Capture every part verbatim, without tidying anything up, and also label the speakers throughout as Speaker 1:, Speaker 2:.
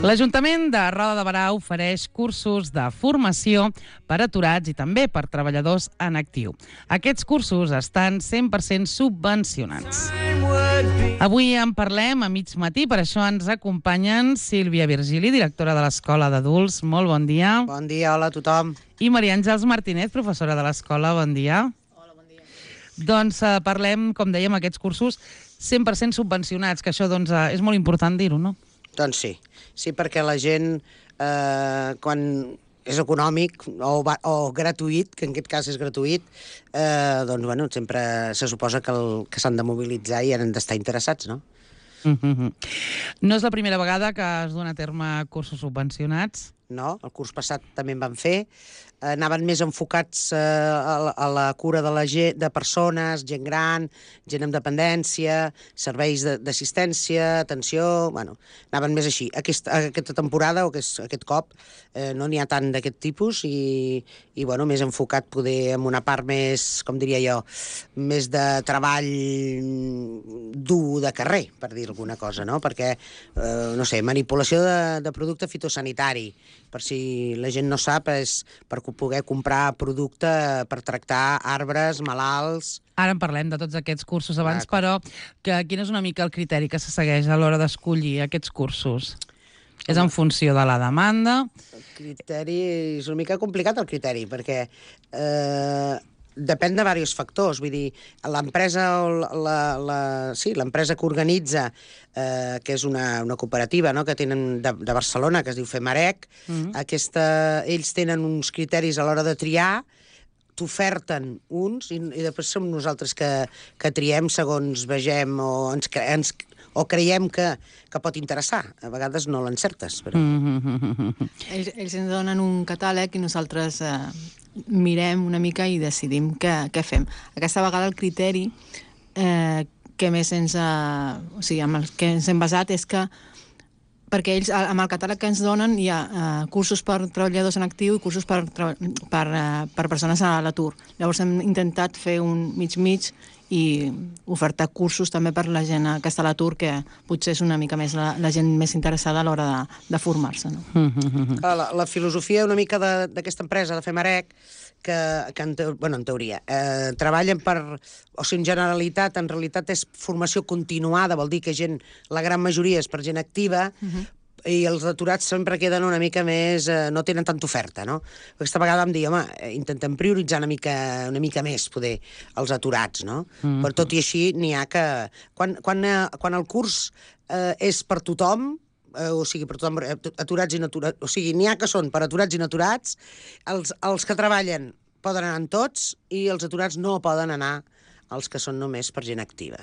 Speaker 1: L'Ajuntament de Roda de Berà ofereix cursos de formació per aturats i també per treballadors en actiu. Aquests cursos estan cent per cent subvencionats. Avui en parlem a mig matí, per això ens acompanyen Sílvia Virgili, directora de l'Escola d'Adults. Molt bon dia.
Speaker 2: Bon dia, hola a tothom.
Speaker 1: I Maria Àngels Martínez, professora de l'Escola. Bon dia.
Speaker 3: Hola, bon dia.
Speaker 1: Doncs eh, parlem, com dèiem, aquests cursos cent per cent subvencionats, que això doncs, eh, és molt important dir-ho, no?
Speaker 2: Doncs sí, sí, perquè la gent, eh, quan és econòmic o, va, o gratuït, que en aquest cas és gratuït, eh, doncs, bueno, sempre se suposa que, el, que s'han de mobilitzar i han d'estar interessats, no?
Speaker 1: Mm-hmm. No és la primera vegada que es duen a terme cursos subvencionats?
Speaker 2: No, el curs passat també en van fer. Eh, anaven més enfocats eh, a, la, a la cura de la gent, de persones, gent gran, gent amb dependència, serveis d'assistència, atenció... Bueno, anaven més així. Aquesta, aquesta temporada, o aquest, aquest cop, eh, no n'hi ha tant d'aquest tipus i, i bueno, més enfocat poder en una part més, com diria jo, més de treball dur de carrer, per dir alguna cosa, no? Perquè, eh, no sé, manipulació de, de producte fitosanitari, per si la gent no sap, és per poder comprar producte per tractar arbres, malalts...
Speaker 1: Ara en parlem de tots aquests cursos abans, ah, però que, quin és una mica el criteri que se segueix a l'hora d'escollir aquests cursos? És en funció de la demanda?
Speaker 2: El criteri... És una mica complicat, el criteri, perquè... Eh, depèn de diversos factors, vull dir, l'empresa la, la, sí, l'empresa que organitza, eh, que és una, una cooperativa, no?, que tenen de, de Barcelona, que es diu Femarec, mm-hmm. aquesta, ells tenen uns criteris a l'hora de triar, t'oferten uns, i, i després som nosaltres que, que triem segons vegem o ens, ens o creiem que, que pot interessar. A vegades no l'encertes, però...
Speaker 1: Mm-hmm.
Speaker 3: Ells, ells ens donen un catàleg i nosaltres eh, mirem una mica i decidim què, què fem. Aquesta vegada el criteri eh, que més ens ha, o sigui, amb el que ens hem basat és que perquè ells, amb el catàleg que ens donen, hi ha uh, cursos per treballadors en actiu i cursos per, per, uh, per persones a l'atur. Llavors hem intentat fer un mig-mig i ofertar cursos també per la gent que està a l'atur, que potser és una mica més la, la gent més interessada a l'hora de, de formar-se. No?
Speaker 1: Mm-hmm.
Speaker 2: La, la filosofia una mica d'aquesta empresa, de Femarec, que, que en, te, bueno, en teoria, eh, treballen per... O sigui, en generalitat, en realitat és formació continuada, vol dir que gent, la gran majoria és per gent activa, uh-huh. i els aturats sempre queden una mica més... Eh, no tenen tanta oferta, no? Aquesta vegada vam dir, home, intentem prioritzar una mica, una mica més, poder, els aturats, no? Mm-hmm. Però tot i així n'hi ha que... Quan, quan, eh, quan el curs eh, és per tothom, eh, o sigui, per tothom, aturats i naturats, o sigui, n'hi ha que són per aturats i naturats, els, els que treballen poden anar en tots i els aturats no poden anar els que són només per gent activa.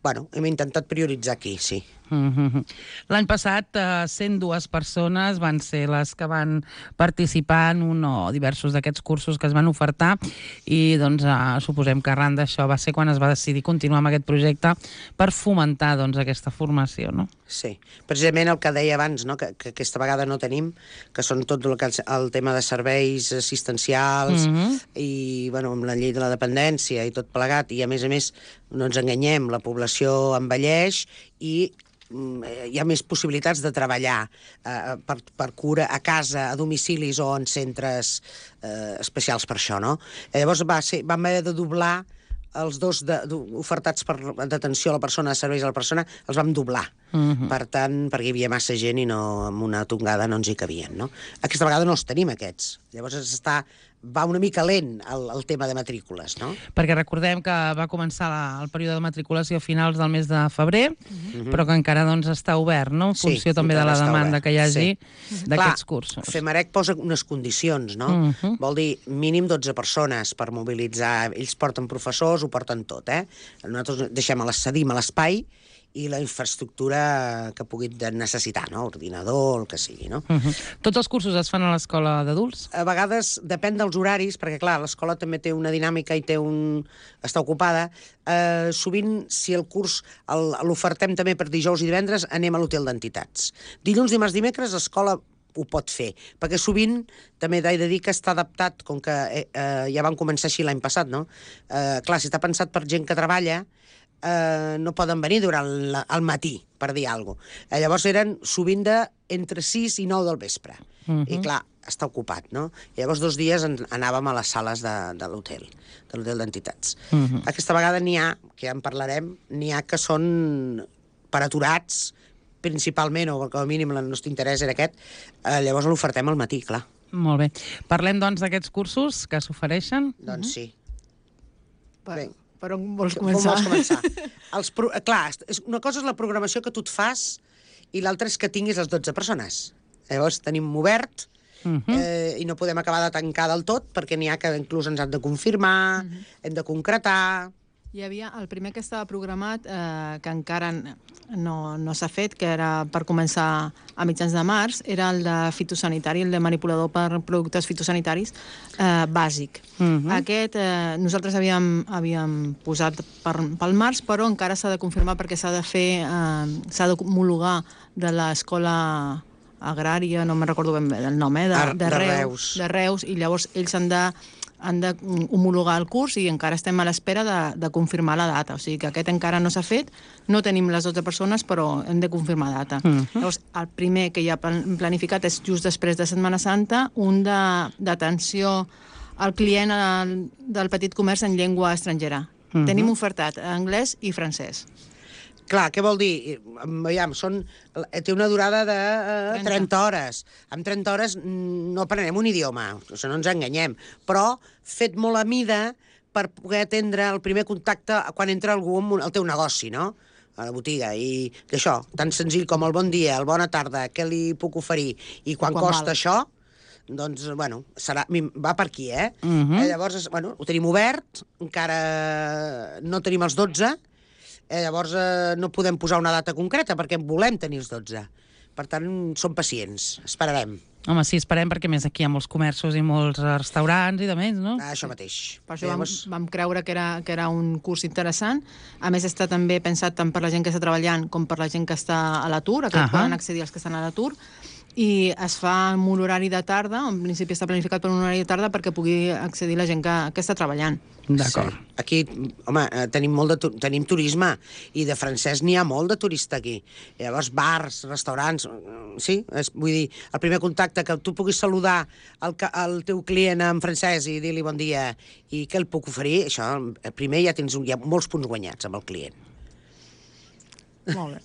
Speaker 2: Bueno, hem intentat prioritzar aquí, sí.
Speaker 1: Mm-hmm. L'any passat, eh, cent dues persones van ser les que van participar en un o diversos d'aquests cursos que es van ofertar i doncs eh, suposem que arran d'això va ser quan es va decidir continuar amb aquest projecte per fomentar doncs, aquesta formació, no?
Speaker 2: Sí, precisament el que deia abans, no? que, que aquesta vegada no tenim, que són tot el, que, el tema de serveis assistencials mm-hmm. i bueno, amb la llei de la dependència i tot plegat, i a més a més no ens enganyem, la població envelleix i hi ha més possibilitats de treballar eh, per, per cura a casa, a domicilis o en centres eh, especials per això, no? Llavors va ser, vam haver de doblar els dos de, de, ofertats per d'atenció a la persona, de serveis a la persona, els vam doblar. Uh-huh. Per tant, perquè hi havia massa gent i no, amb una tongada no ens hi cabien, no? Aquesta vegada no els tenim, aquests. Llavors està, va una mica lent el, el tema de matrícules, no?
Speaker 1: Perquè recordem que va començar la, el període de matriculació a finals del mes de febrer, uh-huh. però que encara doncs, està obert, no? En funció sí, també de la demanda obert. Que hi hagi sí. d'aquests cursos.
Speaker 2: Femarec posa unes condicions, no? Uh-huh. Vol dir mínim dotze persones per mobilitzar. Ells porten professors, ho porten tot, eh? Nosaltres deixem a cedim a l'espai i la infraestructura que puguin necessitar, no? Ordinador, el que sigui, no?
Speaker 1: Uh-huh. Tots els cursos es fan a l'escola d'adults?
Speaker 2: A vegades depèn dels horaris, perquè clar, l'escola també té una dinàmica i té un... està ocupada. Eh, sovint, si el curs l'ofertem també per dijous i divendres, anem a l'hotel d'entitats. Dilluns, dimarts, dimecres, l'escola ho pot fer, perquè sovint també he de dir que està adaptat, com que eh, ja van començar així l'any passat, no? Eh, clar, si està pensat per gent que treballa, eh, no poden venir durant la, el matí, per dir alguna cosa. Eh, llavors eren sovint de entre sis i nou del vespre. Uh-huh. I clar, està ocupat, no? I llavors dos dies en, anàvem a les sales de, de l'hotel, de l'hotel d'entitats. Uh-huh. Aquesta vegada n'hi ha, que ja en parlarem, n'hi ha que són per aturats, principalment, o com a mínim el nostre interès era aquest, eh, llavors l'ofertem al matí, clar.
Speaker 1: Molt bé. Parlem, doncs, d'aquests cursos que s'ofereixen?
Speaker 2: Doncs sí.
Speaker 3: Per,
Speaker 2: Bé.
Speaker 3: per on vols començar?
Speaker 2: On vols començar? Els pro... Clar, una cosa és la programació que tu et fas i l'altra és que tinguis les dotze persones. Llavors tenim obert uh -huh. eh, i no podem acabar de tancar del tot perquè n'hi ha que inclús ens han de confirmar, uh -huh. hem de concretar...
Speaker 3: Hi havia el primer que estava programat, eh, que encara no, no s'ha fet, que era per començar a mitjans de març, era el de fitosanitari, el de manipulador per productes fitosanitaris eh, bàsic. Uh-huh. Aquest eh, nosaltres havíem, havíem posat per, pel març, però encara s'ha de confirmar perquè s'ha de fer, eh, s'ha d'homologar de l'escola agrària, no me'n recordo ben bé del nom, eh, de,
Speaker 2: Ar,
Speaker 3: de,
Speaker 2: de
Speaker 3: Reus,
Speaker 2: Reus.
Speaker 3: de Reus, i llavors ells han de han de homologar el curs i encara estem a l'espera de, de confirmar la data. O sigui que aquest encara no s'ha fet, no tenim les dotze persones, però hem de confirmar data. Uh-huh. Llavors, el primer que ja planificat és just després de Setmana Santa, un d'atenció al client al, del petit comerç en llengua estrangera. Uh-huh. Tenim ofertat anglès i francès.
Speaker 2: Clar, què vol dir? Veiem, són, té una durada de uh, trenta hores. En trenta hores no aprenem un idioma, això no ens enganyem, però fet molt a mida per poder atendre el primer contacte quan entra algú al teu negoci, no?, a la botiga, i això, tan senzill com el bon dia, el bona tarda, què li puc oferir, i quan, quan costa val. Això, doncs, bueno, serà, va per aquí, eh? Uh-huh. eh? Llavors, bueno, ho tenim obert, encara no tenim els dotze, Eh, llavors eh, no podem posar una data concreta perquè volem tenir els dotze. Per tant, som pacients, esperarem.
Speaker 1: Home, sí, esperem, perquè més aquí hi ha molts comerços i molts restaurants i de més, no?
Speaker 2: Ah, això mateix.
Speaker 3: Per això llavors... vam, vam creure que era, que era un curs interessant. A més, està també pensat tant per la gent que està treballant com per la gent que està a l'atur, a que uh -huh. poden accedir els que estan a l'atur, i es fa en un horari de tarda, en principi està planificat per un horari de tarda perquè pugui accedir la gent que, que està treballant.
Speaker 1: D'acord.
Speaker 2: Sí. Aquí, home, tenim molt de tu tenim turisme, i de francès n'hi ha molt de turista aquí. Llavors, bars, restaurants, sí, és, vull dir, el primer contacte, que tu puguis saludar el, el teu client en francès i dir-li bon dia i què el puc oferir, això, primer ja tens un, ja molts punts guanyats amb el client.
Speaker 3: Molt bé.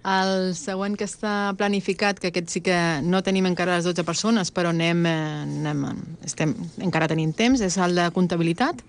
Speaker 3: El següent que està planificat, que aquest sí que no tenim encara les dotze persones, però anem, anem, estem, encara tenim temps, és el de comptabilitat.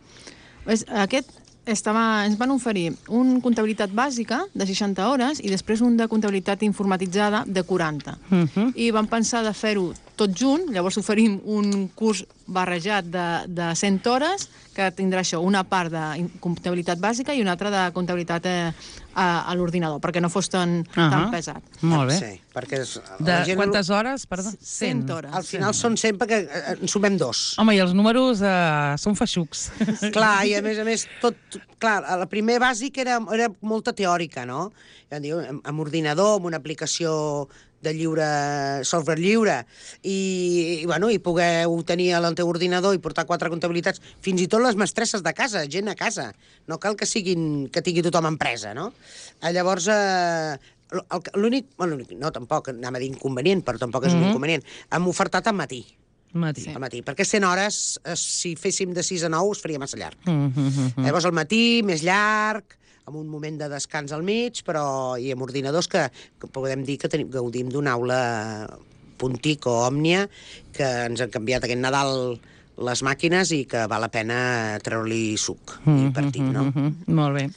Speaker 3: Aquest estava, ens van oferir un comptabilitat bàsica de seixanta hores i després un de comptabilitat informatitzada de quaranta. Uh -huh. I vam pensar de fer-ho tot junt, llavors oferim un curs barrejat de, de cent hores, que tindrà això, una part de comptabilitat bàsica i una altra de comptabilitat eh, a, a l'ordinador, perquè no fos tan, uh -huh. tan pesat.
Speaker 1: Molt bé.
Speaker 2: Sí, perquè és,
Speaker 1: de gent... quantes hores? Perdó?
Speaker 3: cent hores.
Speaker 2: Al final són cent perquè en sumem dos.
Speaker 1: Home, i els números eh, són feixucs.
Speaker 2: Clar, i a més a més, tot... Clar, la primer bàsic era, era molta teòrica, no? Ja diu, amb, amb ordinador, amb una aplicació de lliure, software lliure, i, i, bueno, i poder tenir al teu ordinador i portar quatre comptabilitats, fins i tot les mestresses de casa, gent a casa. No cal que siguin que tingui tothom empresa, no? Llavors, eh, l'únic... Bueno, no, tampoc, anava a dir inconvenient, però tampoc és mm-hmm. un inconvenient. Hem ofertat al matí.
Speaker 1: Matí.
Speaker 2: Sí. Al matí, perquè cent hores, si féssim de sis a nou, es faria massa llarg.
Speaker 1: Mm-hmm.
Speaker 2: Llavors, al matí, més llarg, amb un moment de descans al mig, però i amb ordinadors que, que podem dir que tenim, gaudim d'una aula Puntic o Òmnia, que ens han canviat aquest Nadal les màquines i que val la pena treure-li suc mm-hmm. i partit, no?
Speaker 1: Mm-hmm. Molt bé.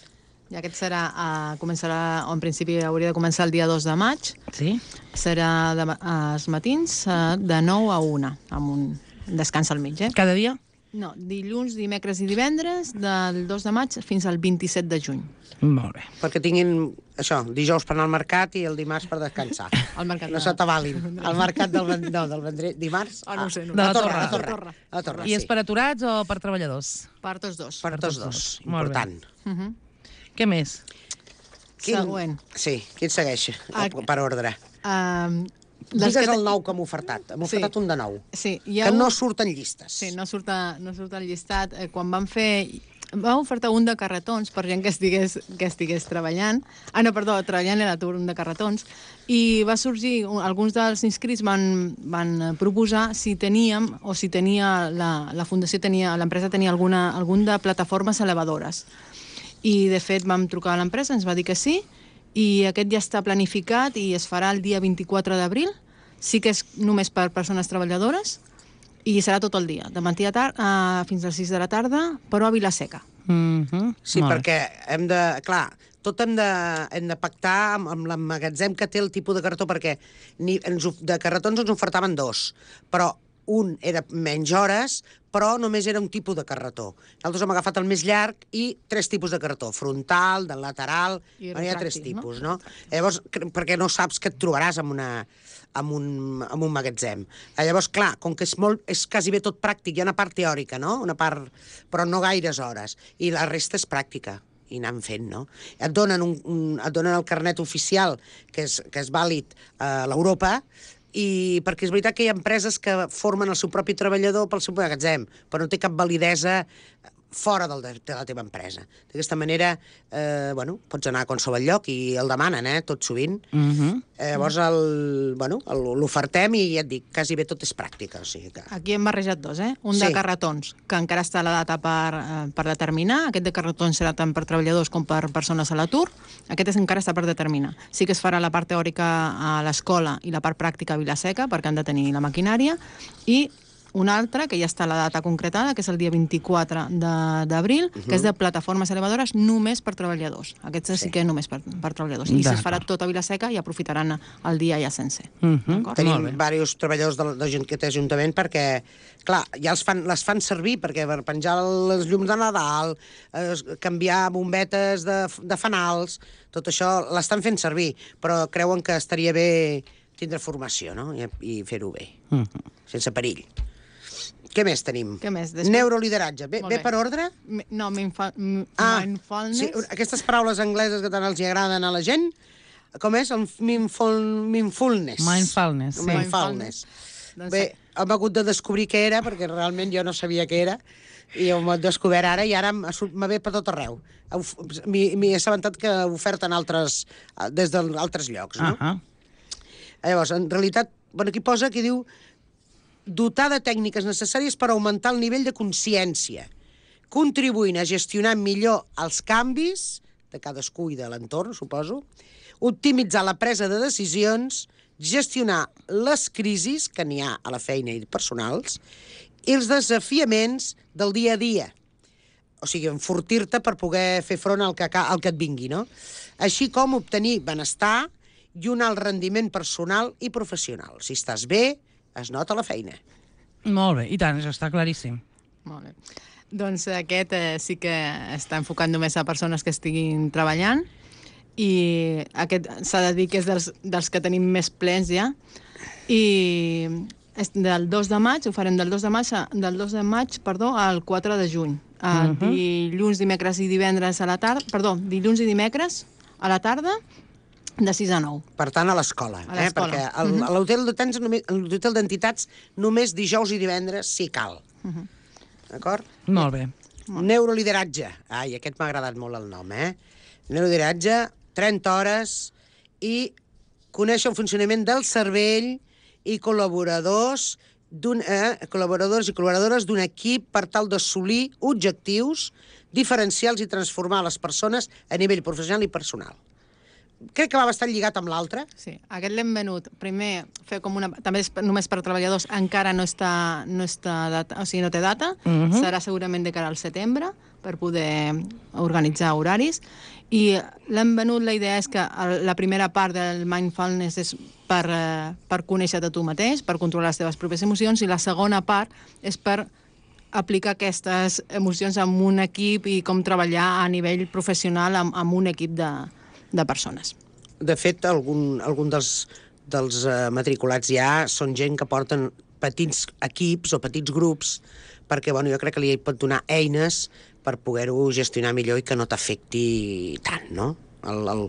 Speaker 3: I aquest serà, uh, començarà, o en principi hauria de començar el dia dos de maig.
Speaker 1: Sí.
Speaker 3: Serà de, als matins uh, de nou a una, amb un descans al mig, eh?
Speaker 1: Cada dia?
Speaker 3: No, dilluns, dimecres i divendres, del dos de maig fins al vint-i-set de juny.
Speaker 1: Molt bé.
Speaker 2: Perquè tinguin, això, dijous per anar al mercat i el dimarts per descansar.
Speaker 3: El mercat
Speaker 2: no s'atabalin. El mercat del, no, del Vendrell, dimarts...
Speaker 3: Ah, no ho sé. No.
Speaker 1: De la,
Speaker 2: la
Speaker 1: torre.
Speaker 2: torre. La
Speaker 3: torre.
Speaker 2: torre. La torre,
Speaker 1: I és
Speaker 2: sí.
Speaker 1: per aturats o per treballadors?
Speaker 3: Per tots dos.
Speaker 2: Per tots dos.
Speaker 1: Molt
Speaker 2: Important.
Speaker 3: Uh -huh.
Speaker 1: Què més?
Speaker 2: Quin...
Speaker 3: Següent.
Speaker 2: Sí, qui et segueix?
Speaker 3: Ah,
Speaker 2: per ordre.
Speaker 3: Uh,
Speaker 2: Digues el nou que hem ofertat. Hem ofertat
Speaker 3: sí.
Speaker 2: un de nou.
Speaker 3: Sí, hi ha
Speaker 2: que
Speaker 3: un...
Speaker 2: no surten llistes.
Speaker 3: Sí, no surt, a, no surt al llistat. Eh, quan vam fer va ofertar un de carretons per gent que estigués, que estigués treballant. Ah, no, perdó, treballant a l'atur, un de carretons. I va sorgir, alguns dels inscrits van, van proposar si teníem, o si tenia, la, la fundació tenia, l'empresa tenia alguna, algun de plataformes elevadores. I, de fet, vam trucar a l'empresa, ens va dir que sí, i aquest ja està planificat i es farà el dia vint-i-quatre d'abril. Sí que és només per persones treballadores i serà tot el dia, de matí a tard, uh, fins a les sis de la tarda, però a Vila-seca.
Speaker 1: Mm-hmm.
Speaker 2: Sí, perquè hem de... Clar, tot hem de, hem de pactar amb, amb l'emmagatzem que té el tipus de cartó, perquè ni, ens, de carretons ens ofertaven dos, però un era menys hores, però només era un tipus de carretó. Nosaltres hem agafat el més llarg i tres tipus de cartó, frontal, del lateral, hi ha tres tipus, no? no? Llavors, perquè no saps que et trobaràs amb una... amb un, amb un magatzem. Llavors, clar, com que és, molt, és quasi bé tot pràctic, hi ha una part teòrica, no? Una part, però no gaires hores. I la resta és pràctica, i anant fent, no? Et donen, un, un, et donen el carnet oficial, que és, que és vàlid a l'Europa, i perquè és veritat que hi ha empreses que formen el seu propi treballador pel seu magatzem, però no té cap validesa fora del, de la teva empresa. D'aquesta manera, eh, bueno, pots anar a qualsevol lloc i el demanen, eh, tot sovint.
Speaker 1: Mm-hmm.
Speaker 2: Eh, llavors, el, bueno, l'ofertem i ja et dic, quasi bé tot és pràctica. O sigui que...
Speaker 3: Aquí hem barrejat dos, eh? Un
Speaker 2: Sí.
Speaker 3: de carretons, que encara està a la data per, eh, per determinar. Aquest de carretons serà tant per treballadors com per persones a l'atur. Aquest és, encara està per determinar. Sí que es farà la part teòrica a l'escola i la part pràctica a Vila-seca, perquè han de tenir la maquinària, i un altre, que ja està la data concretada, que és el dia vint-i-quatre d'abril, uh-huh. que és de plataformes elevadores només per treballadors. Aquest sí, sí que és només per, per treballadors. I es farà tot a Vila-seca i aprofitaran el dia ja sencer.
Speaker 2: Uh-huh. Tenim diversos treballadors de, de gent que té ajuntament perquè, clar, ja els fan, les fan servir perquè per penjar les llums de Nadal, eh, canviar bombetes de, de fanals, tot això l'estan fent servir, però creuen que estaria bé tindre formació, no? I, i fer-ho bé, uh-huh. sense perill. Què més tenim?
Speaker 3: Què més? Després...
Speaker 2: Neurolideratge. Ve, ve per ordre?
Speaker 3: Mi, no, mindfulness.
Speaker 2: Ah, sí, aquestes paraules angleses que tant els agraden a la gent, com és? El mindful, mindfulness.
Speaker 1: Mindfulness, sí.
Speaker 2: Mindfulness. Doncs bé, sí. Hem hagut de descobrir què era, perquè realment jo no sabia què era, i ho hem descobert ara, i ara me ve per tot arreu. M'he assabentat que oferten altres, des d'altres llocs, no? Uh-huh. Llavors, en realitat, bueno, aquí posa, aquí diu dotar de tècniques necessàries per augmentar el nivell de consciència, contribuint a gestionar millor els canvis de cadascú i de l'entorn, suposo, optimitzar la presa de decisions, gestionar les crisis que n'hi ha a la feina i personals i els desafiaments del dia a dia. O sigui, enfortir-te per poder fer front al que, al que et vingui, no? Així com obtenir benestar i un alt rendiment personal i professional. Si estàs bé, es nota la feina.
Speaker 1: Molt bé, i tant, això està claríssim.
Speaker 3: Molt bé. Doncs aquest eh, sí que està enfocat només a persones que estiguin treballant i aquest s'ha de dir que és dels, dels que tenim més plens ja i és del dos de maig, ho farem del dos de maig, del dos de maig perdó, al quatre de juny. Uh, uh-huh. Dilluns, dimecres i divendres a la tarda, perdó, dilluns i dimecres a la tarda, de sis a nou.
Speaker 2: Per tant, a l'escola. Eh? Perquè el, uh-huh. a l'hotel d'entitats només dijous i divendres si cal. Uh-huh. D'acord?
Speaker 1: Molt bé.
Speaker 2: Neurolideratge. Ai, aquest m'ha agradat molt el nom, eh? Neurolideratge, trenta hores i conèixer el funcionament del cervell i col·laboradors d'un, eh, col·laboradors i col·laboradores d'un equip per tal d'assolir objectius diferencials i transformar les persones a nivell professional i personal. Crec que va bastant lligat amb l'altre.
Speaker 3: Sí, aquest l'hem venut. Primer, fer com una... També és només per treballadors, encara no està, no està data, o sigui, no té data. Uh-huh. Serà segurament de cara al setembre, per poder organitzar horaris. I l'hem venut, la idea és que la primera part del mindfulness és per, per conèixer-te tu mateix, per controlar les teves pròpies emocions, i la segona part és per aplicar aquestes emocions en un equip i com treballar a nivell professional amb, amb un equip de, de persones.
Speaker 2: De fet, algun, algun dels, dels uh, matriculats ja són gent que porten petits equips o petits grups perquè, bueno, jo crec que li pot donar eines per poder-ho gestionar millor i que no t'afecti tant, no? El, el,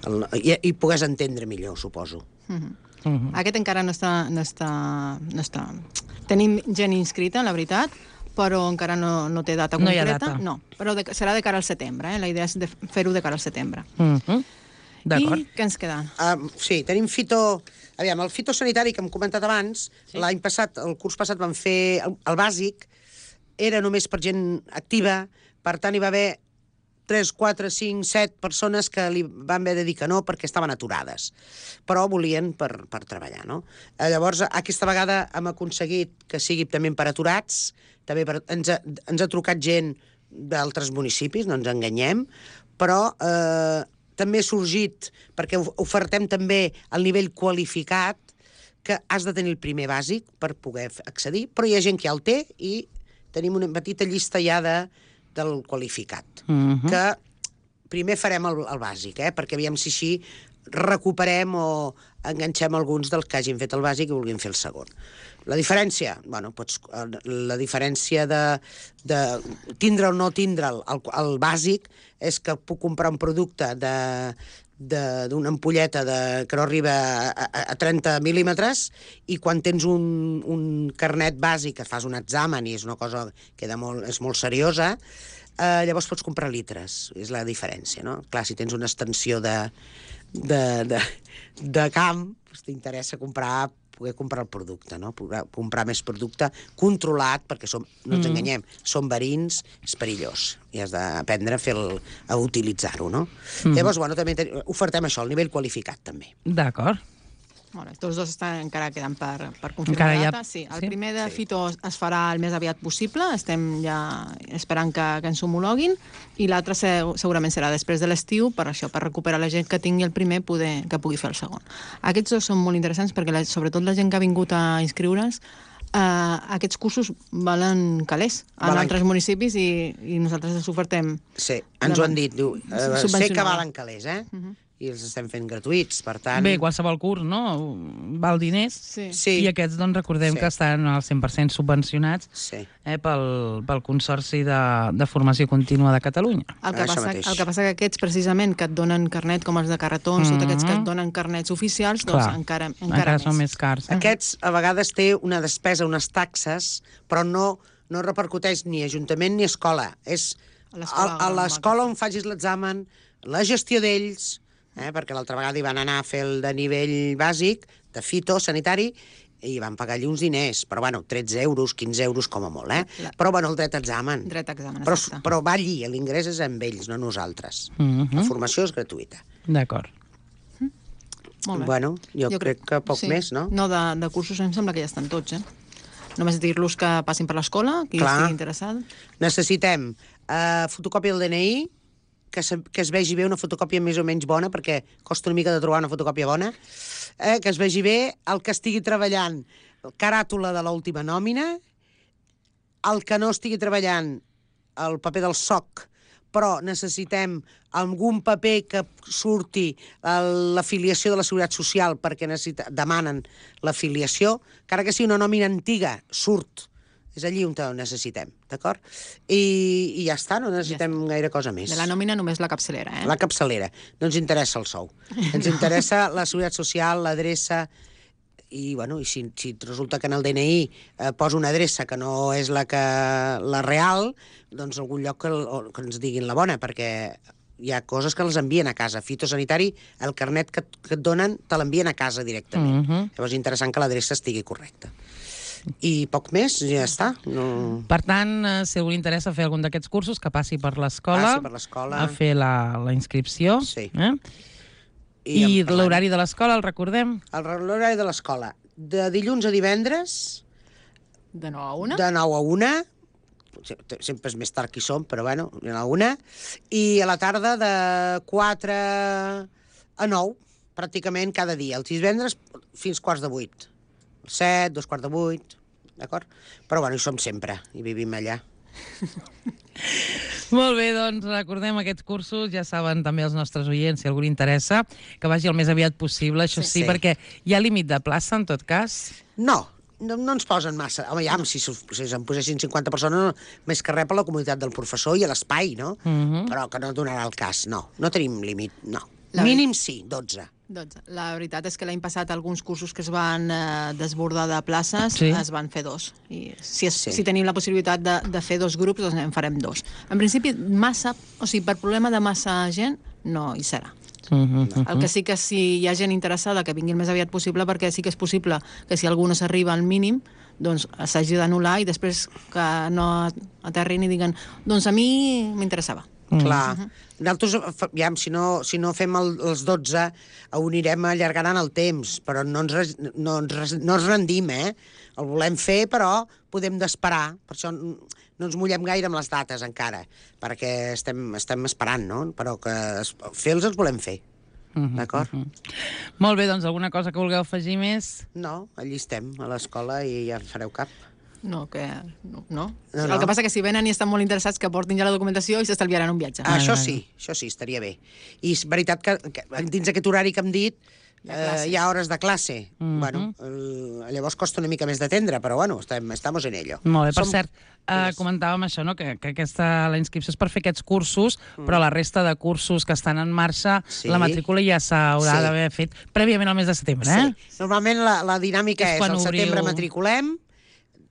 Speaker 2: el, i, I pogués entendre millor, suposo.
Speaker 3: Uh-huh. Uh-huh. Aquest encara no està, no està, no està... Tenim gent inscrita, la veritat, però encara no, no té data
Speaker 1: No hi ha
Speaker 3: concreta.
Speaker 1: data.
Speaker 3: No, però de, serà de cara al setembre, eh? La idea és de fer-ho de cara al setembre.
Speaker 1: Uh -huh. D'acord.
Speaker 3: I què ens queda?
Speaker 2: Uh, sí, tenim fito... Aviam, el fitosanitari que hem comentat abans, sí. L'any passat, el curs passat vam fer el, el bàsic, era només per gent activa, per tant hi va haver tres, quatre, cinc, set persones que li van haver de dir que no perquè estaven aturades, però volien per, per treballar, no? Eh, llavors, aquesta vegada hem aconseguit que sigui també per aturats, també per, ens, ha, ens ha trucat gent d'altres municipis, no ens enganyem, però eh, també ha sorgit, perquè ofertem també el nivell qualificat, que has de tenir el primer bàsic per poder accedir, però hi ha gent que ja el té i tenim una petita llista ja de del qualificat, uh -huh. que primer farem el, el bàsic, eh? Perquè aviam si així recuperem o enganxem alguns dels que hagin fet el bàsic i vulguin fer el segon. La diferència, bueno, pots, la diferència de, de tindre o no tindre el, el, el bàsic és que puc comprar un producte de d'una ampolleta de, que no arriba a, a, a trenta mil·límetres i quan tens un, un carnet bàsic que fas un examen i és una cosa que molt, és molt seriosa, eh, llavors pots comprar litres, és la diferència, no? Clar, si tens una extensió de, de, de, de camp, doncs t'interessa comprar poder comprar el producte, no? Poder comprar més producte controlat, perquè som, no ens enganyem, són verins, és perillós, i has d'aprendre a, fer el, a utilitzar-ho, no? Mm. Llavors, bueno, també ten, ofertem això, el nivell qualificat, també.
Speaker 1: D'acord.
Speaker 3: Bueno, tots dos estan, encara queden per, per confirmar la data. Ha... Sí, el sí? primer de sí. Fito es farà el més aviat possible, estem ja esperant que, que ens homologuin, i l'altre segurament serà després de l'estiu, per això, per recuperar la gent que tingui el primer, poder, que pugui fer el segon. Aquests dos són molt interessants perquè, la, sobretot la gent que ha vingut a inscriure's, Uh, aquests cursos valen calés en valen... altres municipis i, i nosaltres els ofertem.
Speaker 2: Sí, ens ho han dit. Diu, uh, sé que valen calés, eh? Uh -huh. I els estem fent gratuïts, per tant...
Speaker 1: Bé, qualsevol curs, no? Val diners.
Speaker 3: Sí.
Speaker 1: Sí. I aquests, doncs, recordem sí. que estan al cent per cent subvencionats sí. eh, pel, pel Consorci de, de Formació Contínua de Catalunya.
Speaker 3: El que, passa, el que passa que aquests, precisament, que et donen carnet, com els de carretons, mm -hmm. tots aquests que et donen carnets oficials, doncs
Speaker 1: Clar.
Speaker 3: encara, encara,
Speaker 1: encara
Speaker 3: més.
Speaker 1: són més cars. Eh?
Speaker 2: Aquests, a vegades, té una despesa, unes taxes, però no, no repercuteix ni ajuntament ni escola. És a l'escola on facis l'examen, la gestió d'ells... Eh, perquè l'altra vegada hi van anar a fer el de nivell bàsic, de fitosanitari, i van pagar allí uns diners, però bueno, tretze euros, quinze euros com a molt, eh? La... Però bueno, el dret a examen.
Speaker 3: Dret a examen,
Speaker 2: però, però va allí, l'ingrés és amb ells, no nosaltres. Uh -huh. La formació és gratuïta.
Speaker 1: D'acord.
Speaker 3: Mm. Molt bé.
Speaker 2: Bueno, jo, jo crec que poc
Speaker 3: sí.
Speaker 2: més, no?
Speaker 3: No, de, de cursos em sembla que ja estan tots, eh? Només dir-los que passin per l'escola, qui Clar. estigui interessat.
Speaker 2: Necessitem uh, fotocòpia del D N I, que, se, que es vegi bé una fotocòpia més o menys bona, perquè costa una mica de trobar una fotocòpia bona, eh, que es vegi bé el que estigui treballant caràtula de l'última nòmina, el que no estigui treballant el paper del S O C, però necessitem algun paper que surti l'afiliació de la Seguretat Social perquè necessita, demanen l'afiliació, encara que sigui una nòmina antiga, surt. És allí on ho necessitem, d'acord? I, I ja està, no necessitem ja gaire cosa més.
Speaker 3: De la nòmina només la capçalera, eh?
Speaker 2: La capçalera. No ens interessa el sou. Ens interessa la Seguretat Social, l'adreça, i, bueno, i si, si resulta que en el D N I eh, posa una adreça que no és la, que, la real, doncs algun lloc que, que ens diguin la bona, perquè hi ha coses que les envien a casa. Fitosanitari, el carnet que, que et donen, te l'envien a casa directament. Uh -huh. Llavors és interessant que l'adreça estigui correcta. I poc més, ja està. No...
Speaker 1: Per tant, si algú li interessa fer algun d'aquests cursos, que passi per l'escola a fer la, la inscripció. Sí. Eh? I, I l'horari de l'escola, el recordem?
Speaker 2: L'horari de l'escola. De dilluns a divendres...
Speaker 3: De nou a una?
Speaker 2: De nou a una. Sempre és més tard que hi som, però bueno, de nou a una. I a la tarda de quatre a nou, pràcticament cada dia. Els divendres fins quarts de vuit. set, dos quarts de vuit, d'acord? Però bueno, hi som sempre, i vivim allà.
Speaker 1: Molt bé, doncs recordem aquests cursos, ja saben també els nostres oients, si algú li interessa, que vagi el més aviat possible, això sí, sí, sí. Perquè hi ha límit de plaça, en tot cas?
Speaker 2: No, no, no ens posen massa. Home, ja, si, si se'n posessin cinquanta persones, no, més que res per la comunitat del professor i a l'espai, no? Uh -huh. Però que no donarà el cas, no. No tenim límit, no. La... Mínim sí, dotze.
Speaker 3: dotze. La veritat és que l'any passat alguns cursos que es van eh, desbordar de places
Speaker 1: Sí.
Speaker 3: es van fer dos. I si, es,
Speaker 2: Sí.
Speaker 3: si tenim la possibilitat de, de fer dos grups, doncs en farem dos. En principi, massa, o sigui, per problema de massa gent, no hi serà.
Speaker 1: Uh -huh.
Speaker 3: El que sí que si hi ha gent interessada que vinguin el més aviat possible, perquè sí que és possible que si algú no s'arriba al mínim, doncs s'hagi d'anul·lar i després que no aterrin i diguen doncs a mi m'interessava.
Speaker 2: Clar. Nosaltres, fa- ja, si no, si no fem el, els dotze, ho anirem allargant en el temps, però no ens, res- no ens, res- no ens rendim, eh? El volem fer, però podem d'esperar. Per això n- no ens mullem gaire amb les dates encara, perquè estem, estem esperant, no? Però que es- fer-los els volem fer. D'acord?
Speaker 1: Molt bé, doncs alguna cosa que vulgueu afegir més?
Speaker 2: No, allí estem, a l'escola, i ja en fareu cap.
Speaker 3: No, que... No, no.
Speaker 2: No,
Speaker 3: El
Speaker 2: no.
Speaker 3: que passa que si venen i estan molt interessats que portin ja la documentació i s'estalviaran un viatge.
Speaker 2: Ah, això
Speaker 1: vale.
Speaker 2: sí, això sí, estaria bé. I és veritat que, que dins d'aquest horari que hem dit
Speaker 3: Hi ha
Speaker 2: eh,
Speaker 3: classes.
Speaker 2: hi ha hores de classe.
Speaker 1: Mhm.
Speaker 2: Bueno, eh, llavors costa una mica més d'atendre, però bueno, estem, estamos en ello.
Speaker 1: Molt bé, per
Speaker 2: Som-
Speaker 1: cert, eh, comentàvem això, no? que, que aquesta, la inscripció és per fer aquests cursos, mm. però la resta de cursos que estan en marxa,
Speaker 2: Sí.
Speaker 1: la matrícula ja s'haurà
Speaker 2: Sí.
Speaker 1: d'haver fet prèviament al mes de setembre, eh?
Speaker 2: Sí. Normalment la, la dinàmica
Speaker 1: És
Speaker 2: és,
Speaker 1: quan
Speaker 2: al setembre
Speaker 1: obriu-
Speaker 2: matriculem,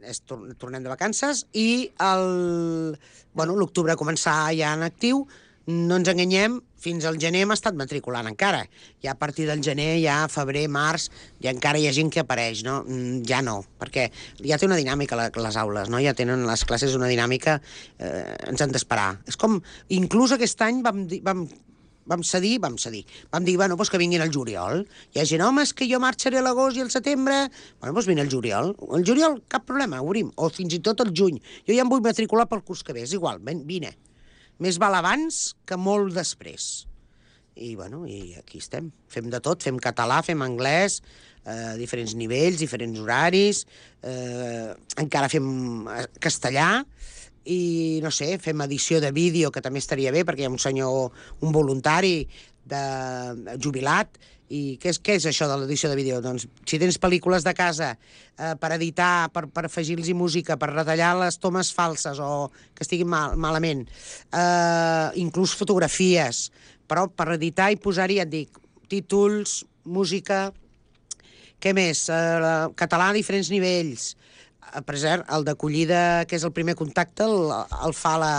Speaker 2: és, tor- tornem de vacances, i el, bueno, l'octubre començar ja en actiu, no ens enganyem, fins al gener hem estat matriculant encara. Ja a partir del gener, ja febrer, març, ja encara hi ha gent que apareix, no? Mm, Ja no, perquè ja té una dinàmica la, les aules, no? Ja tenen les classes una dinàmica, eh, ens han d'esperar. És com, inclús aquest any vam, dir- vam vam cedir, vam cedir. Vam dir, bueno, doncs que vinguin al juliol. Hi ha gent, home, és que jo marxaré a l'agost i al setembre. Bueno, doncs vine al juliol. El juliol, cap problema, obrim. O fins i tot al juny. Jo ja em vull matricular pel curs que ve, és igual, ven, vine. Més val abans que molt després. I, bueno, i aquí estem. Fem de tot, fem català, fem anglès, eh, diferents nivells, diferents horaris, eh, encara fem eh, castellà, i, no sé, fem edició de vídeo, que també estaria bé, perquè hi ha un senyor, un voluntari de, jubilat, i què és, què és això de l'edició de vídeo? Doncs si tens pel·lícules de casa eh, per editar, per, per afegir-los música, per retallar les tomes falses o que estiguin mal, malament, eh, inclús fotografies, però per editar i posar-hi, ja et dic, títols, música, què més? Eh, català a diferents nivells. Eh, Per cert, el d'acollida, que és el primer contacte, el, el fa, la,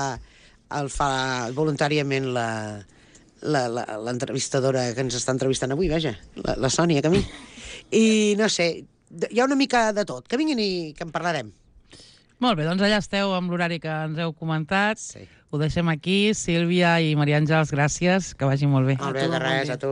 Speaker 2: el fa voluntàriament la, la, la, l'entrevistadora que ens està entrevistant avui, vaja, la, la Sònia Camí. I no sé, hi ha una mica de tot. Que vinguin i que en parlarem.
Speaker 1: Molt bé, doncs allà esteu amb l'horari que ens heu comentat.
Speaker 2: Sí.
Speaker 1: Ho deixem aquí. Sílvia i Maria Àngels, gràcies, que vagi molt bé.
Speaker 2: Molt bé,
Speaker 3: tu,
Speaker 2: de
Speaker 3: bon
Speaker 2: res,
Speaker 3: dia.
Speaker 2: a tu.